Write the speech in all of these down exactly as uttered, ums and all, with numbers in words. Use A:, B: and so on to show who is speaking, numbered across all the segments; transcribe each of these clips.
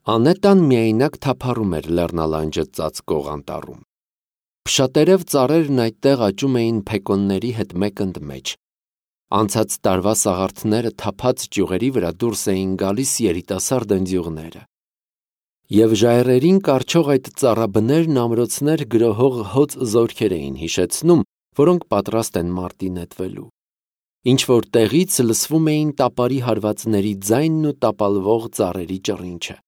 A: Անետան միայնակ թափառում էր լեռնալանջը ծածկող անտառում։ Փշատերև ծառերն այդտեղ աճում էին փեկոնների հետ մեկընդմեջ։ Անցած տարվա սաղարթները թափած ճյուղերի վրա դուրս էին գալիս երիտասարդ ընձյուղները։ Եվ ժայռերին կառչող այդ ծառաբներն ամրոցներ գրոհող հոծ զորքեր էին հիշեցնում, որոնք պատրաստ են մարտի նետվելու։ Ինչ-որ տեղից լսվում էին տապարի հարվածների ձայնն ու տապալվող ծառերի ճռինչը։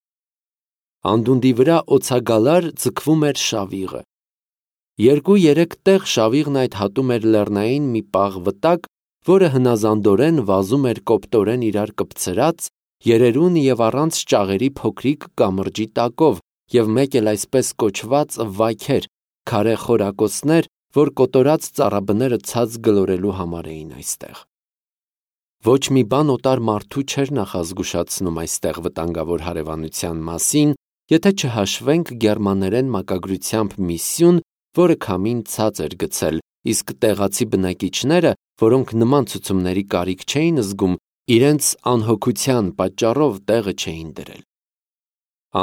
A: Անդունդի վրա օձագալար ձգվում էր շավիղը։ Երկու-երեք տեղ շավիղն այդ հատում էր լեռնային մի պաղ վտակ, որը հնազանդորեն վազում էր կոպտորեն իրար կպցրած, երերուն և առանց ճաղերի փոքրիկ կամրջի տակով, և մեկ էլ այսպես կոչված վայքեր, քարե խորակոցներ, որ կոտորած ծառաբները ցած գլորելու համար էին այստեղ։ Ոչ մի բան օտար մարդու չէր նախազգուշացնում այստեղ վտանգավոր հարևանության մասին, եթե չհաշվենք գերմաներեն մակագրությամբ մի սյուն, որը քամին ցած էր գցել, իսկ տեղացի բնակիչները, որոնք նման ցուցումների կարիք չէին զգում, իրենց անհոգության պատճառով տեղը չէին դրել։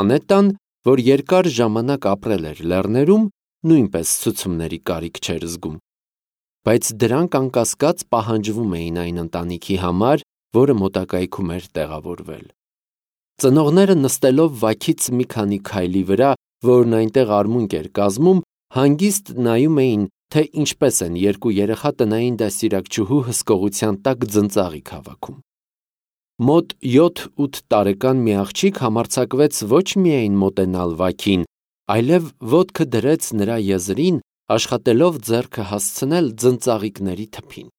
A: Անետան, որ երկար ժամանակ ապրել էր լեռներում, նույնպես ցուցումների կարիք չէր զգում, բայց դրանք անկասկած պահանջվում էին այն ընտանիքի համար, որը մոտակայքում էր տեղավորվել։ Ծնողները նստելով վայքից մի քանի քայլի վրա, որն այնտեղ արմունկ էր կազմում, հանգիստ նայում էին, թե ինչպես են երկու երեխա տնային դաստիարակչուհու հսկողության տակ ձնծաղիկ հավաքում։ Մոտ յոթ-ութ տարեկան մի աղջիկ համարձակվեց ոչ միայն մոտենալ վայքին, այլև ոտքը դրեց նրա եզրին, աշխատելով ձեռքը հասցնել ձնծաղիկների թփին։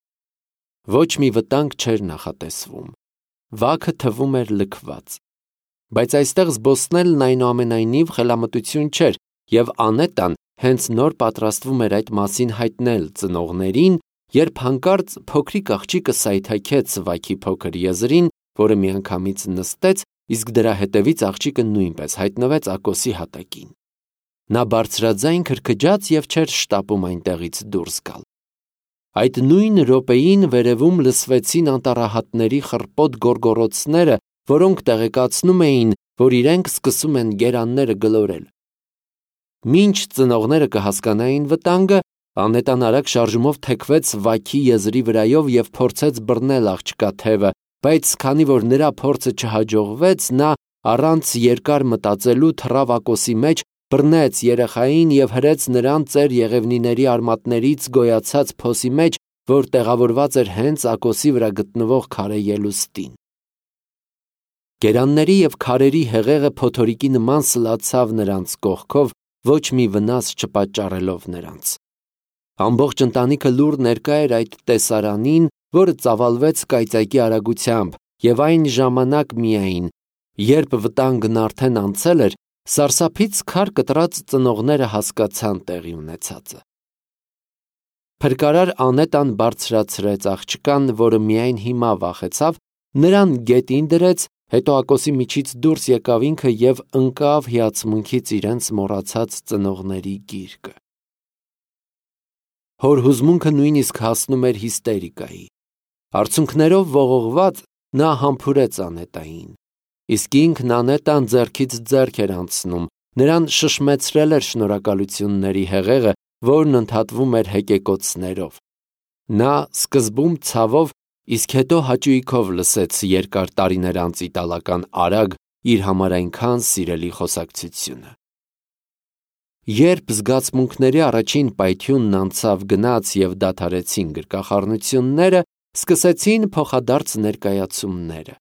A: Ոչ մի վտանգ չէր նախատեսվում։ Վաքը թվում էր լքված։ Բայց այստեղ զբոսնելն այնուամենայնիվ խելամտություն չէր, և Անետան հենց նոր պատրաստվում էր այդ մասին հայտնել ծնողներին, երբ հանկարծ փոքրիկ աղջիկը սայթաքեց վայքի փոքր եզրին, որը միանգամից նստեց, իսկ դրա հետևից աղջիկը նույնպես հայտնվեց ակոսի հատակին։ Նա բարձրաձայն քրքջաց և չէր շտապում այնտեղից դուրս գալ։ Այդ նույն րոպեին վերևում լսվեցին անտառահատների խռպոտ գոռգոռոցները, որոնք տեղեկացնում էին, որ իրենք սկսում են գերանները գլորել։ Մինչ ծնողները կհասկանային վտանգը, Անետան արագ շարժումով թեքվեց վայքի եզրի վրայով և փորձեց բռնել աղջկա թևը, բայց քանի որ նրա փորձը չհաջողվեց, նա առանց երկար մտածելու թռավ ակոսի մեջ, բռնեց երեխային և հրեց նրան ծեր եղևնիների արմատներից գոյացած փոսի մեջ, որ տեղավորված էր հենց ակոսի վրա գտնվող քարե ելուստին։ Գերանների և քարերի հեղեղը փոթորիկի նման սլացավ նրանց կողքով, ոչ մի վնաս չպատճառելով նրանց։ Ամբողջ ընտանիքը լուռ ներկա էր այդ տեսարանին, որը ծավալվեց կայծակի արագությամբ, և այն ժամանակ միայն, երբ վտանգն արդեն անցել էր, սարսափից քար կտրած ծնողները հասկացան տեղի ունեցածը։ Փրկարար Անետան բարձրացրեց աղջկան, որը միայն հիմա վախեցավ, նրան գետին դրեց, հետո ակոսի միջից դուրս եկավ ինքը և ընկավ հիացմունքից իրենց մոռացած ծնողների գիրկը։ Հոր հուզմունքը նույնիսկ հասնում էր հիստերիկայի։ Արցունքներով ողողված նա համբուրեց Անետային, իսկ ինքն Անետան ձեռքից ձեռք էր անցնում, նրան շշմեցրել էր շնորհակալությունների հեղեղը, որն ընդհատվում էր հեկեկոցներով։ Նա սկզբում ցավով, իսկ հետո հաճույքով լսեց երկար տարիներ անց իտալական արագ, իր համար այնքան սիրելի խոսակցությունը։ Երբ զգացմունքների առաջին պայթյունն անցավ գնաց և դադարեցին գրկախառնությունները, սկսեցին փոխադարձ ներկայացումները։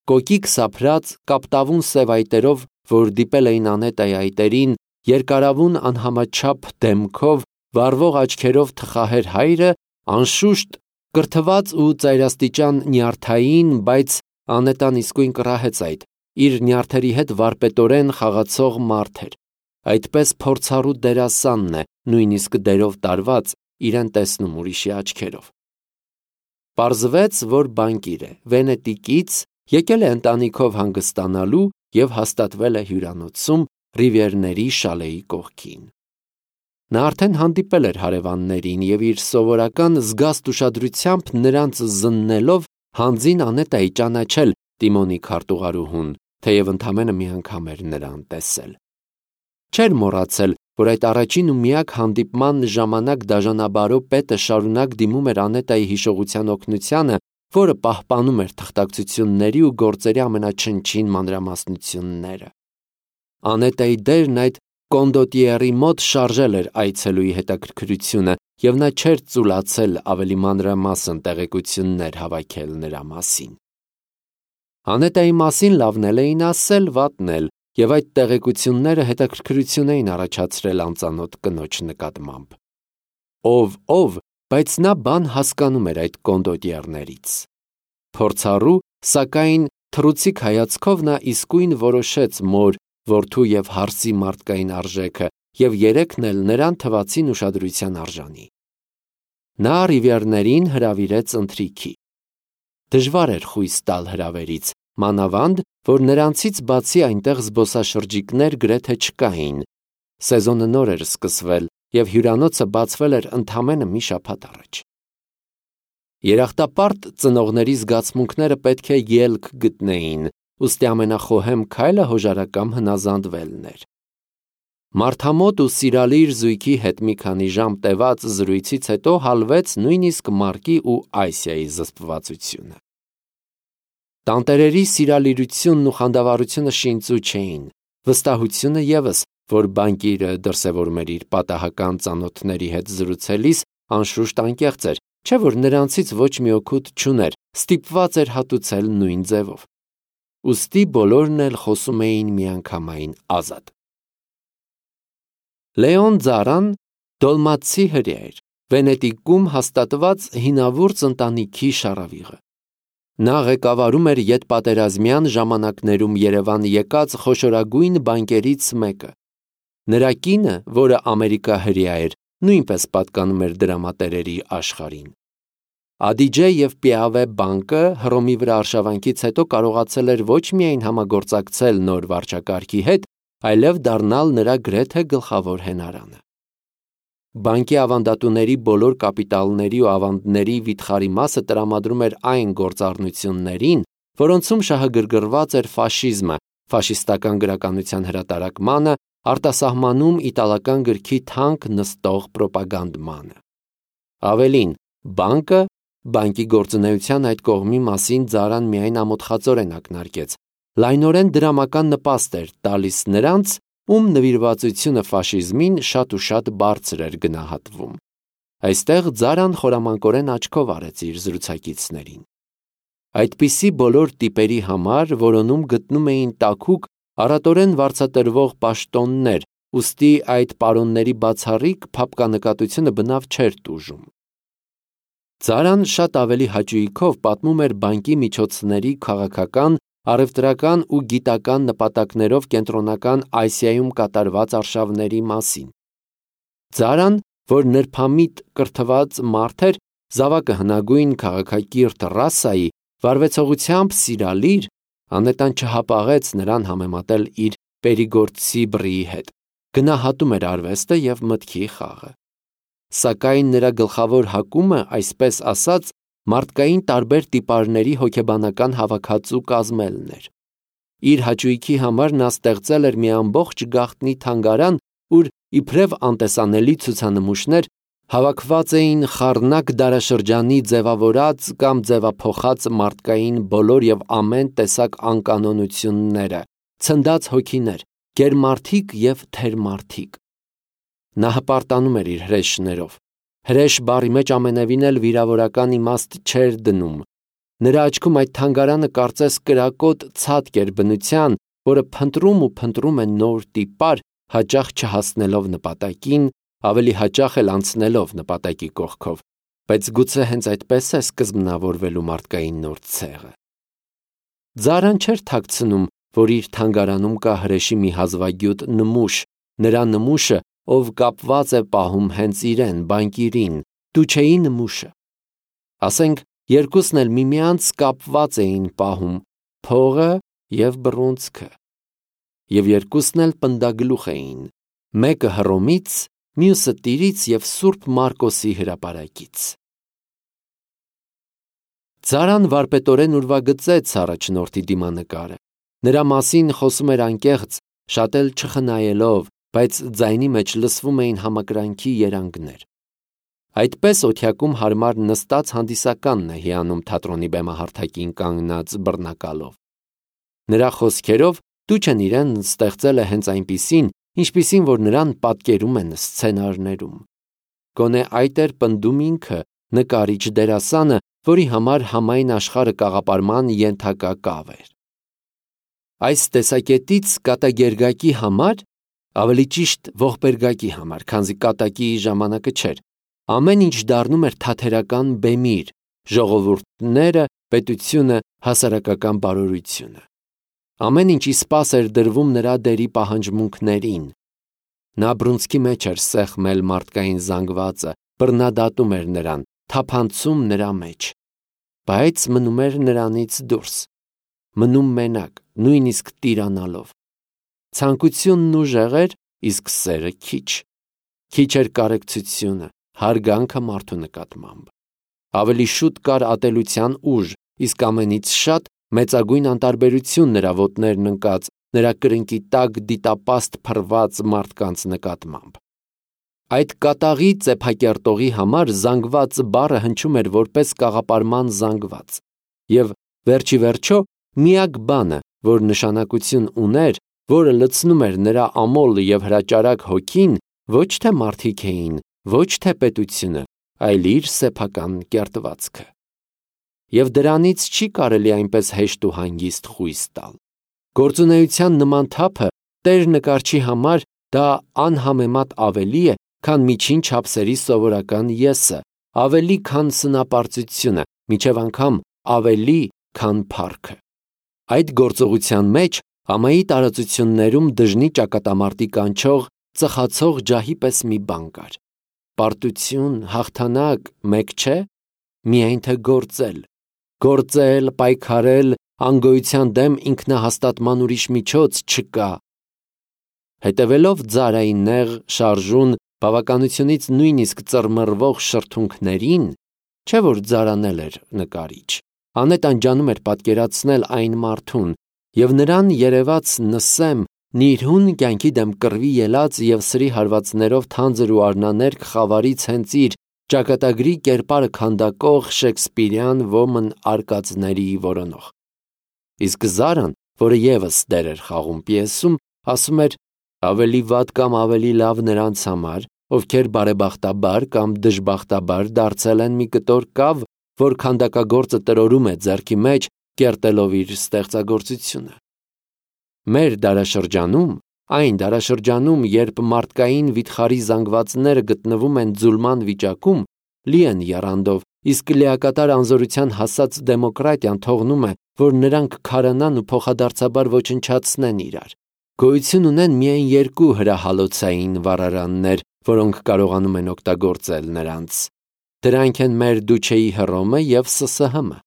A: Կոկիկ սափրած, կապտավուն սև այտերով, որ դիպել էին Անետայի այտերին, երկարավուն անհամաչափ դեմքով, վառվող աչքերով թխահեր հայրը, անշուշտ, կրթված ու ծայրաստիճան նյարդային, բայց Անետան իսկույն կռահեց այդ, իր նյարդերի հետ վարպետորեն խաղացող մարդ էր, այդպես փորձառու դերասանն է, նույնիսկ դերով տարված, իրեն տեսնում ուրիշի աչքերով։ Պարզվեց, որ բանկիր է, Վենետիկից, եկել է ընտանիքով հանգստանալու և հաստատվել է հյուրանոցում Ռիվիերների շալեի կողքին։ Նա արդեն հանդիպել էր հարևաններին և իր սովորական զգաստ ուշադրությամբ նրանց զննելով հանձին Անետայի ճանաչել Տիմոնի քարտուղարուհուն, թեև ընդամենը մի անգամ էր նրան տեսել։ Չէր մոռացել, որ այդ առաջին ու միակ հանդիպման ժամանակ դաժանաբարո պետը շարունակ դիմում էր Անետայի հիշողության օգնությանը, որը պահպանում էր թղթակցությունների ու գործերի ամենաչնչին մանրամասնությունները։ Անետայի դերն այդ կոնդոտիերի մոտ շարժել էր այցելուի հետաքրքրությունը, և նա չէր ծուլացել ավելի մանրամասն տեղեկություններ հավաքել նրա մասին։ Անետայի մասին լավն էլ էին ասել, վատն էլ, և այդ տեղեկությունները հետաքրքրություն էին առաջացրել անծանոթ կնոջ նկատմամբ։ Ով ով, բայց նա բան հասկանում էր այդ կոնդոտիերներից։ Փորձառու, սակայն թռուցիկ հայացքով նա իսկույն որոշեց մոր, որդու և հարսի մարդկային արժեքը, և երեքն էլ նրան թվացին ուշադրության արժանի։ Նա Ռիվիերներին հրավիրեց ընթրիքի։ Դժվար էր խույս տալ հրավերից, մանավանդ, որ նրանցից բացի այնտեղ զբոսաշրջիկներ գրեթե չկային։ Սեզոնը նոր էր սկսվել, և հյուրանոցը բացվել էր ընդամենը մի շաբաթ առաջ։ Երախտապարտ ծնողների զգացմունքները պետք է ելք գտնեին, ուստի ամենախոհեմ քայլը հոժարակամ հնազանդվելն էր։ Մարդամոտ ու սիրալիր զույգի հետ մի քանի ժամ տևած զրույցից հետո հալվեց նույնիսկ Մարկի ու Այսիայի զսպվածությունը։ Տանտերերի սիրալիրությունն ու խանդավառությունը շինծու չէին, վստահությունը ևս, որ բանկիրը դրսևորում էր իր պատահական ծանոթների հետ զրուցելիս, անշուշտ անկեղծ էր, չէ՞ որ նրանցից ոչ մի օգուտ չուներ, ստիպված էր հատուցել նույն ձևով։ Ուստի բոլորն էլ խոսում էին միանգամայն ազատ։ Լեոն Ձարան դոլմատցի հրեա էր, Վենետիկում հաստատված հինավուրց ընտանիքի շառավիղը։ Նա ղեկավարում էր ետպատերազմյան ժամանակներում Երևան եկած խոշորագույն բանկերից մեկը։ Նրա կինը, որը Ամերիկա հրեա էր, նույնպես պատկանում էր դրամատերերի աշխարհին։ Ադիջե և Պիավե բանկը Հռոմի վրա արշավանքից հետո կարողացել էր ոչ միայն համագործակցել նոր վարչակարգի հետ, այլև դառնալ նրա գրեթե գլխավոր հենարանը։ Բանկի ավանդատուների բոլոր կապիտալների ու ավանդների վիթխարի մասը տրամադրում էր այն գործառնություններին, որոնցում շահագրգռված էր ֆաշիզմը, ֆաշիստական գրականության հրատարակմանը, արտասահմանում իտալական գրքի թանկ նստող պրոպագանդմանը։ Ավելին, բանկը, բանկի գործունեության այդ կողմի մասին Ձարան միայն ամոթխածորեն ակնարկեց, լայնորեն դրամական նպաստ էր տալիս նրանց, ում նվիրվածությունը ֆաշիզմին շատ ու շատ բարձր էր գնահատվում։ Այստեղ Ձարան խորամանկորեն աչքով արեց իր զրուցակիցներին։ Այդպիսի բոլոր տիպերի համար որոնում գտնում էին տաքուկ, առատորեն վարձատրվող պաշտոններ, ուստի այդ պարոնների բացառիկ փափկանկատությունը բնավ չէր տուժում։ Ձարան շատ ավելի հաճույքով պատմում էր բանկի միջոցների քաղաքական, առևտրական ու գիտական նպատակներով կենտրոնական Ասիայում կատարված արշավների մասին։ Ձարան, որ նրբամիտ կրթված մարդ էր, զավակը հնագույն քաղաքակիրթ ռասայի, վարվեցողությամբ սիրալիր, անետան չհապաղեց նրան համեմատել իր պերիգորդցի բռիի հետ, գնահատում էր արվեստը և մտքի խաղը։ Սակայն նրա գլխավոր հակումը, այսպես ասած, մարդկային տարբեր տիպարների հոգեբանական հավաքածու կազմելն էր։ Իր հաճույքի համար նա ստեղծել էր մի ամբողջ գաղտնի թանգարան, ուր իբրև անտեսանելի ցուցանմուշներ հավաքված էին խառնակ դարաշրջանի ձևավորած կամ ձևափոխած մարդկային բոլոր և ամեն տեսակ անկանոնությունները, ցնդած հոգիներ, գերմարդիկ և թերմարդիկ։ Նա հպարտանում էր իր հրեշներով։ Հրեշ բառի մեջ ամենևին էլ վիրավորական իմաստ չէր դնում։ Նրա աչքում այդ թանգարանը կարծես կրակոտ ցատկ էր բնության, որը փնտրում ու փնտրում է նոր տիպար, հաճախ չհասնելով նպատակին, ավելի հաճախ էլ անցնելով նպատակի կողքով, բայց գուցե հենց այդպես է սկզբնավորվելու մարդկային նոր ցեղը։ Ձարան չէր թաքցնում, որ իր թանգարանում կա հրեշի մի հազվագյուտ նմուշ, նրա նմուշը, ով կապված է պահում հենց իրեն, բանկիրին, Դուչեի նմուշը։ Ասենք, երկուսն էլ միմյանց կապված էին պահում, փողը և բռունցքը։ Եվ երկուսն էլ պնդագլուխ էին, մեկը Հռոմից, մյուսը Տիրից և Սուրբ Մարկոսի հրապարակից։ Ձարան վարպետորեն ուրվագծեց առաջնորդի դիմանկարը։ Նրա մասին խոսում էր անկեղծ, շատ էլ չխնայելով, բայց ձայնի մեջ լսվում էին համակրանքի երանգներ։ Այդպես օթյակում հարմար նստած հանդիսականն է հիանում թատրոնի բեմահարթակին կանգնած բռնակալով։ Նրա խոսքերով Տուչեն իրեն ստեղծել է հենց այնպիսին, ինչպիսին որ նրան պատկերում են սցենարներում։ Գոնե այդ էր պնդում ինքը, նկարիչ դերասանը, որի համար համայն աշխարհը կաղապարման ենթակա կավ էր։ Այս տեսակետից կատակերգակի համար, ավելի ճիշտ ողբերգակի համար, քանզի կատակի ժամանակը չէր, ամեն ինչ դառնում էր թատերական բեմիր, ժողովուրդները, պետությունը, հասարակական բարօրությունը։ Ամեն ինչ իսպաս էր դրվում նրա դերի պահանջմունքներին։ Նա բռունցքի մեջ էր սեղմել մարդկային զանգվածը, բռնադատում էր նրան, թափանցում նրա մեջ, բայց մնում էր նրանից դուրս, մնում մենակ, նույնիսկ տիրանալով։ Ցանկությունն ուժեղ էր, իսկ սերը քիչ։ Քիչ էր կարեկցությունը, հարգանքը մարդու նկատմամբ։ Ավելի շուտ կար ատելության ուժ, իսկ ամենից շատ մեծագույն անտարբերություն նրա ոտներն ընկած, նրա կրնկի տակ դիտապաստ փռված մարդկանց նկատմամբ։ Այդ կատաղի ծեփակերտողի համար զանգված բառը հնչում էր որպես կաղապարման զանգված, և վերջի վերջո միակ բանը, որ նշանակություն ուներ, որը լցնում էր նրա ամոլ և հրաճարակ հոգին, ոչ թե մարդիկ էին, ոչ թե պետությունը, այլ իր սեփական կերտվածքը։ Եվ դրանից չի կարելի այնպես հեշտ ու հանգիստ խույս տալ։ Գործունեության նման թափը տեր նկարչի համար դա անհամեմատ ավելի է, քան միջին չափսերի սովորական եսը, ավելի քան սնապարծությունը, մինչև անգամ ավելի քան փառքը։ Այդ գործողության մեջ ամայի տարածություններում դժնի ճակատամարտի կանչող, ծխացող ջահի պես մի բան կար։ Պարտություն, հաղթանակ, մեկ չէ, միայն թե գործել, գործել, պայքարել, անգոյության դեմ ինքնահաստատման ուրիշ միջոց չկա։ Հետևելով ձարային նեղ, շարժուն, բավականությունից նույնիսկ ծռմռվող շրթունքներին, չէ որ ձարանել էր նկարիչ, անետ անջանում էր պատկերացնել այն մարդուն, և նրան երևաց նսեմ, նիրհուն կյանքի դեմ կռվի ելած և սրի հարվածներով թանձր ու արնաներկ խավարից հենց իր ճակատագրի կերպարը քանդակող շեքսպիրյան ոմն արկածների որոնող։ Իսկ Զարան, որը ևս դեր էր խաղում պիեսում, ասում էր. ավելի վատ կամ ավելի լավ նրանց համար, ովքեր բարեբախտաբար կամ դժբախտաբար դարձել են մի կտոր կավ, որ քանդակագործը տրորում է ձեռքի մեջ, կերտելով իր ստեղծագործությունը։ Մեր դարաշրջանում, այն դարաշրջանում, երբ մարդկային վիթխարի զանգվածները գտնվում են ձուլման վիճակում, լի են եռանդով, իսկ լիակատար անզորության հասած դեմոկրատիան թողնում է, որ նրանք քարանան ու փոխադարձաբար ոչնչացնեն իրար։ Գոյություն ունեն միայն երկու հրահալոցային վառարաններ, որոնք կարողանում են օգտագործել նրանց։ Դրանք են մեր Դուչեի Հռոմը և Ս Ս Հ-ը։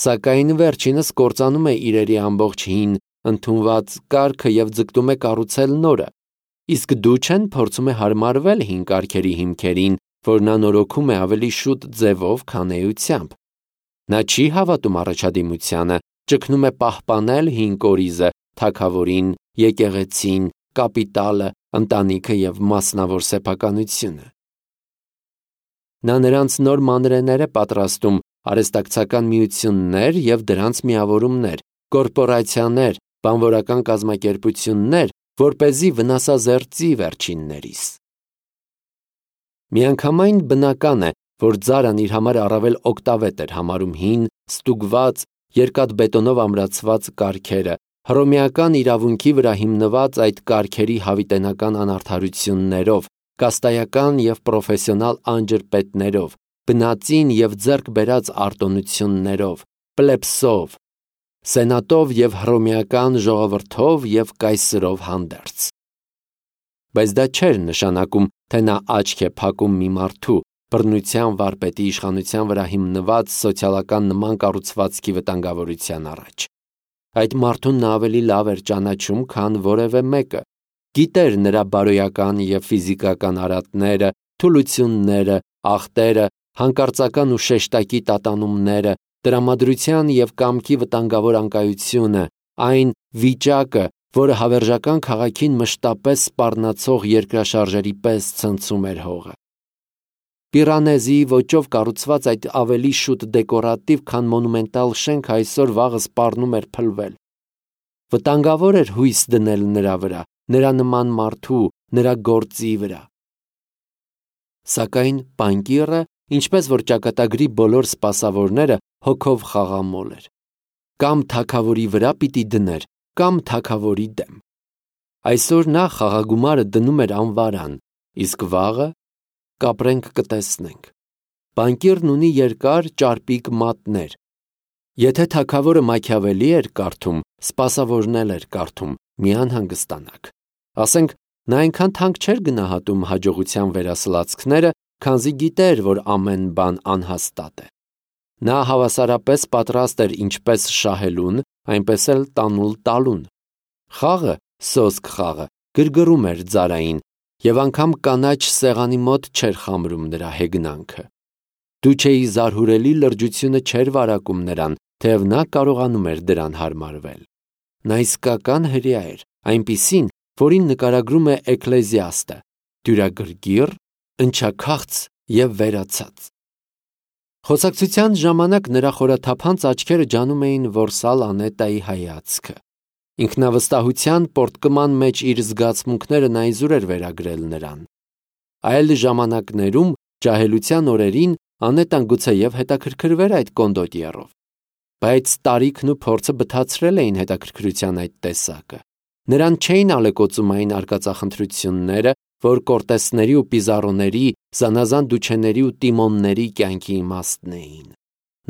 A: Սակայն վերջինս կործանում է իրերի ամբողջ հին, ընդունված կարգը և ձգտում է կառուցել նորը, իսկ Դուչեն փորձում է հարմարվել հին կարգերի հիմքերին, որ նա նորոգում է ավելի շուտ ձևով, քան էությամբ։ Նա չի հավատում առաջադիմությանը, ճգնում է պահպանել հին կորիզը, թագավորին, եկեղեցին, կապիտալը, ընտանիքը և մասնավոր սեփականությունը։ Նա նրանց նոր մանրեներ է պատրաստում, արհեստակցական միություններ և դրանց միավորումներ, կորպորացիաներ, բանվորական կազմակերպություններ, որպեսզի վնասազերծի վերջիններիս։ Միանգամայն բնական է, որ Ձարան իր համար առավել օգտավետ էր համարում հին, ստուգված, երկաթբետոնով ամրացված կարգերը, հռոմեական իրավունքի վրա հիմնված այդ կարգերի հավիտենական անարդարություններով, կաստայական և պրոֆեսիոնալ անջրպետներով, բնածին և ձեռք բերած արտոնություններով, պլեբսով, սենատով և հռոմեական ժողովրդով և կայսրով հանդերձ։ Բայց դա չէր նշանակում, թե նա աչք է փակում մի մարդու, բռնության վարպետի իշխանության վրա հիմնված սոցիալական նման կառուցվածքի վտանգավորության առաջ։ Այդ մարդուն նա ավելի լավ էր ճանաչում, քան որևէ մեկը, գիտեր նրա բարոյական և ֆիզիկական արատները, թուլությունները, ախտերը, հանկարծական ու շեշտակի տատանումները, տրամադրության և կամքի վտանգավոր անկայությունը, այն վիճակը, որը հավերժական քաղաքին մշտապես սպառնացող երկրաշարժերի պես ցնցում էր հողը։ Պիրանեզի ոճով կառուցված այդ ավելի շուտ դեկորատիվ, քան մոնումենտալ շենքը այսօր վաղը սպառնում էր փլվել։ Վտանգավոր էր հույս դնել նրա վրա, նրա նման մարդու, նրա գործի վրա։ Սակայն բանկիրը, ինչպես որ ճակատագրի բոլոր սպասավորները, հոգով խաղամոլ էր։ Կամ թագավորի վրա պիտի դներ, կամ թագավորի դեմ։ Այսօր նա խաղագումարը դնում էր անվարան, իսկ վաղը կապրենք կտեսնենք։ Բանկիրն ունի երկար ճարպիկ մատներ։ Եթե թագավորը Մաքիավելի էր կարդում, սպասավորն էլ էր կարդում, մի անհանգստանաք։ Ասենք, նա այնքան թանկ չէր գնահատում հաջողության վերասլացքները, քանզի գիտեր, որ ամեն բան անհաստատ է։ Նա հավասարապես պատրաստ էր ինչպես շահելուն, այնպես էլ տանուլ տալուն։ Խաղը, սոսկ խաղը, գրգռում էր ձարային, և անգամ կանաչ սեղանի մոտ չէր խամրում նրա հեգնանքը։ Դուչեի զարհուրելի լրջությունը չէր վարակում նրան, թեև նա կարողանում էր դրան հարմարվել։ Նա իսկական հրեա էր, այնպիսին, որին նկարագրում է Էկլեզիաստը, դյուրագրգիռ, ընչաքաղց և վերացած։ Խոսակցության ժամանակ նրա խորաթափանց աչքերը ջանում էին որսալ Անետայի հայացքը։ Ինքնավստահության պորտկման մեջ իր զգացմունքները նա իզուր էր վերագրել նրան։ Այլ ժամանակներում, ջահելության օրերին, Անետան գուցեև հետաքրքրվեր այդ կոնդոտիեռով, բայց տարիքն ու փորձը բթացրել էին հետաքրքրության այդ տեսակը։ Նրան չէին ալեկոծում այն արկածախնդրությունները, որ Կորտեսների ու Պիզարոների, զանազան դուչեների ու Տիմոնների կյանքի իմաստն էին։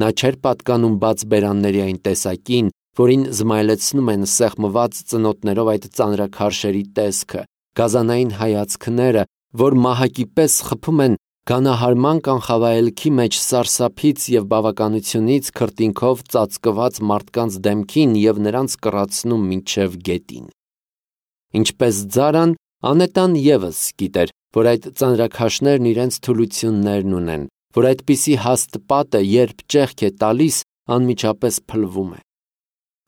A: Նա չէր պատկանում բաց բերանների այն տեսակին, որին զմայլեցնում են սեղմված ծնոտներով այդ ծանրաքարշերի տեսքը, գազանային հայացքները, որ մահակի պես խփում են գանահարման կանխավայելքի մեջ սարսափից և բավականությունից քրտինքով ծածկված մարդկանց դեմքին և նրանց կռացնում մինչև գետին։ Ինչպես ձարան, Անետան ևս գիտեր, որ այդ ծանրաքաշներն իրենց թուլություններն ունեն, որ այդպիսի հաստ պատը, երբ ճեղք է տալիս, անմիջապես փլվում է։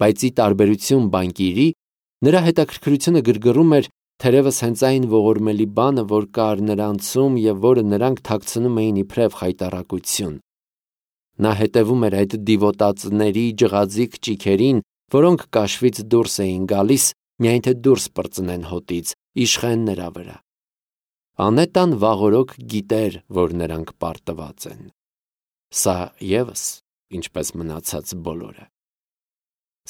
A: Բայց ի տարբերություն բանկիրի, նրա հետաքրքրությունը գրգռում էր թերևս հենց այն ողորմելի բանը, որ կար նրանցում և որը նրանք թաքցնում էին իբրև խայտառակություն։ Նա հետևում էր այդ դիվոտածների ջղաձիգ ճիգերին, որոնք կաշվից դուրս էին գալիս, միայն թե դուրս պրծնեն հոտից, իշխեն նրա վրա։ Անետան վաղօրոք գիտեր, որ նրանք պարտված են։ Սա ևս, ինչպես մնացած բոլորը։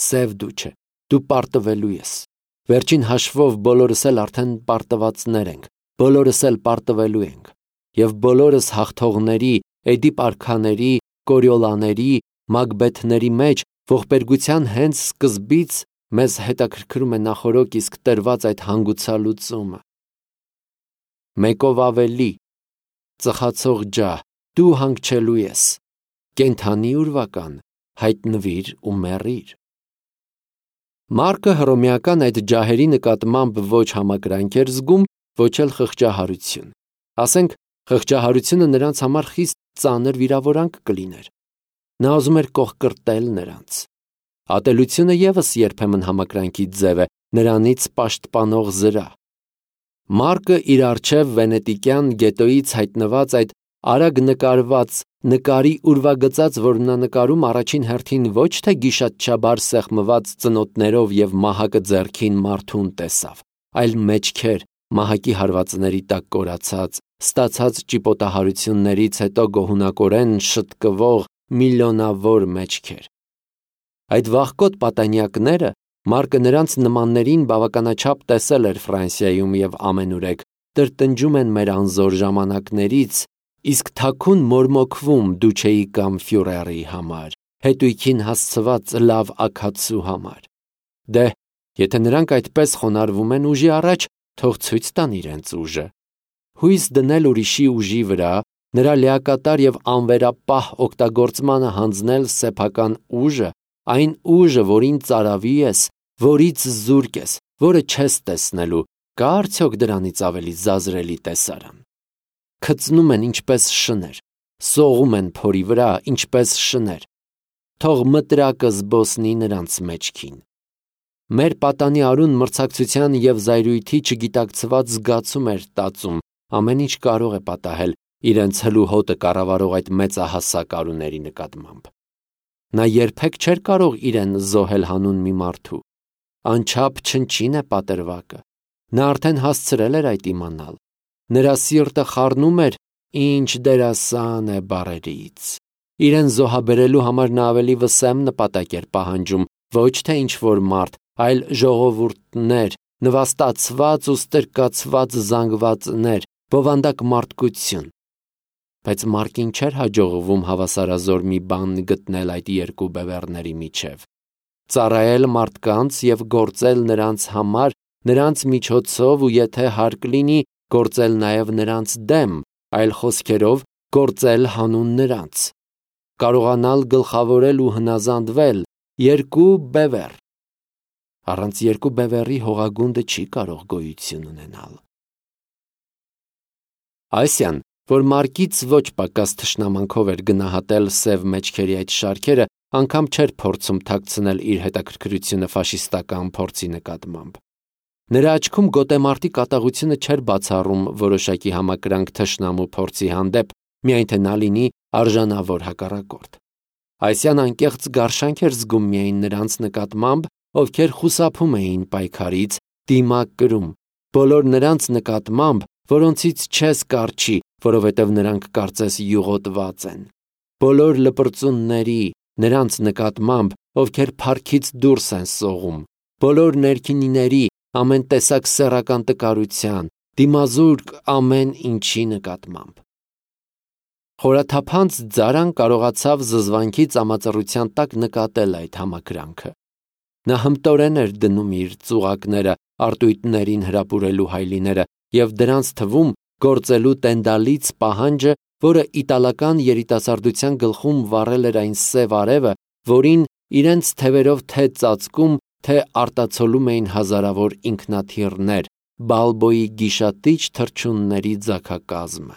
A: Սև դուչե, դու պարտվելու ես։ Վերջին հաշվով բոլորս էլ արդեն պարտվածներ ենք, բոլորս էլ պարտվելու ենք, և բոլորս հաղթողների, Էդիպ արքաների, Կորիոլաների, Մակբեթների մեջ ողբերգության հենց սկզբից մեզ հետաքրքրում է նախօրոք իսկ տրված այդ հանգուցալուծումը։ Մեկով ավելի, ծխացող ջահ, դու հանգչելու ես, կենդանի ուրվական, հայտնվիր ու մեռիր։ Մարկը հռոմեական այդ ջահերի նկատմամբ ոչ համակրանք էր զգում, ոչ էլ խղճահարություն։ Ասենք, խղճահարությունը նրանց համար խիստ ծանր վիրավորանք կլիներ։ Նա ուզում էր կողկրտել նրանց։ Ատելությունը ևս երբեմն համակրանքի ձև է, նրանից պաշտպանող զրահ։ Մարկը իր առջև վենետիկյան գետոյից հայտնված այդ արագ նկարված նկարի ուրվագծած որմնանկարում առաջին հերթին ոչ թե գիշատչաբար սեղմված ծնոտներով և մահակը ձեռքին մարդուն տեսավ, այլ մեջքեր, մահակի հարվածների տակ կորացած, ստացած ճիպոտահարություններից հետո գոհունակորեն շտկվող միլիոնավոր մեջքեր։ Այդ վախկոտ պատանյակները Մարկը նրանց նմաններին բավականաչափ տեսել էր Ֆրանսիայում և ամենուրեք, տրտնջում են մեր անզոր ժամանակներից, իսկ թաքուն մորմոքվում դուչեի կամ ֆյուրերի համար, հետույքին հասցված լավ աքացու համար։ Դե, եթե նրանք այդպես խոնարհվում են ուժի առաջ, թող ցույց տան իրենց ուժը։ Հույս դնել ուրիշի ուժի վրա, նրա լիակատար և անվերապահ օգտագործմանը հանձնել սեփական ուժը, այն ուժը, որին ծարավի ես, որից զուրկ ես, որը չես տեսնելու, կա արդյոք դրանից ավելի զազրելի տեսարան։ Քծնում են ինչպես շներ, սողում են փորի վրա ինչպես շներ, թող մտրակը զբոսնի նրանց մեջքին։ Մեր պատանի արուն մրցակցության և զայրույթի չգիտակցված զգացում էր տածում, ամեն ինչ կարող է պատահել իրենց հլու հոտը կառավարող այդ մեծահասակ արուների նկատմամբ։ Նա երբեք չէր կարող իրեն զոհել հանուն մի մարդու։ Անչափ չնչին է պատրվակը։ Նա արդեն հասցրել էր այդ իմանալ։ Նրա սիրտը խառնում էր «ինչ դերասան է» բառերից։ Իրեն զոհաբերելու համար նա ավելի վսեմ նպատակ էր պահանջում, ոչ թե ինչ-որ մարդ, այլ ժողովուրդներ, նվաստացված ու ստրկացված զանգվածներ, բովանդակ մարդկություն։ Բայց Մարկին չէր հաջողվում հավասարազոր մի բան գտնել այդ երկու բևեռների միջև։ Ծառայել մարդկանց և գործել նրանց համար, նրանց միջոցով ու եթե հարկ լինի, գործել նաև նրանց դեմ, այլ խոսքերով գործել հանուն նրանց։ Կարողանալ գլխավորել ու հնազանդվել երկու բևեռ։ Առանց երկու բևեռի հողագունդը չի կարող գոյություն ունենալ։ Ասիան, որ Մարկից ոչ պակաս թշնամանքով էր գնահատել սև մեջքերի այդ շարքերը, անգամ չէր փորձում թաքցնել իր հետաքրքրությունը ֆաշիստական փորձի նկատմամբ։ Նրա աչքում գոտեմարտի կատաղությունը չէր բացառում որոշակի համակրանք թշնամու փորձի հանդեպ, միայն թե նա լինի արժանավոր հակառակորդ։ Ասիան անկեղծ գարշանք էր զգում միայն նրանց նկատմամբ, ովքեր խուսափում էին պայքարից, դիմակ կրում, բոլոր նրանց նկատմամբ, որոնցից չես կառչի, որովհետև նրանք կարծես յուղոտված են, բոլոր լպրծունների, նրանց նկատմամբ, ովքեր փառքից դուրս են սողում, բոլոր ներքինիների, ամեն տեսակ սեռական տկարության, դիմազուրկ ամեն ինչի նկատմամբ։ Խորաթափանց Ձարան կարողացավ զզվանքի ծամածռության տակ նկատել այդ համակրանքը։ Նա հմտորեն էր դնում իր ծուղակները արտույտներին հրապուրելու հայլիները և դրանց թվում գործելու տենդալից պահանջը, որը իտալական երիտասարդության գլխում վառել էր այն սև արևը, որին իրենց թևերով թե ծածկում, թե արտացոլում էին հազարավոր ինքնաթիռներ, Բալբոյի գիշատիչ թռչունների ձագակազմը։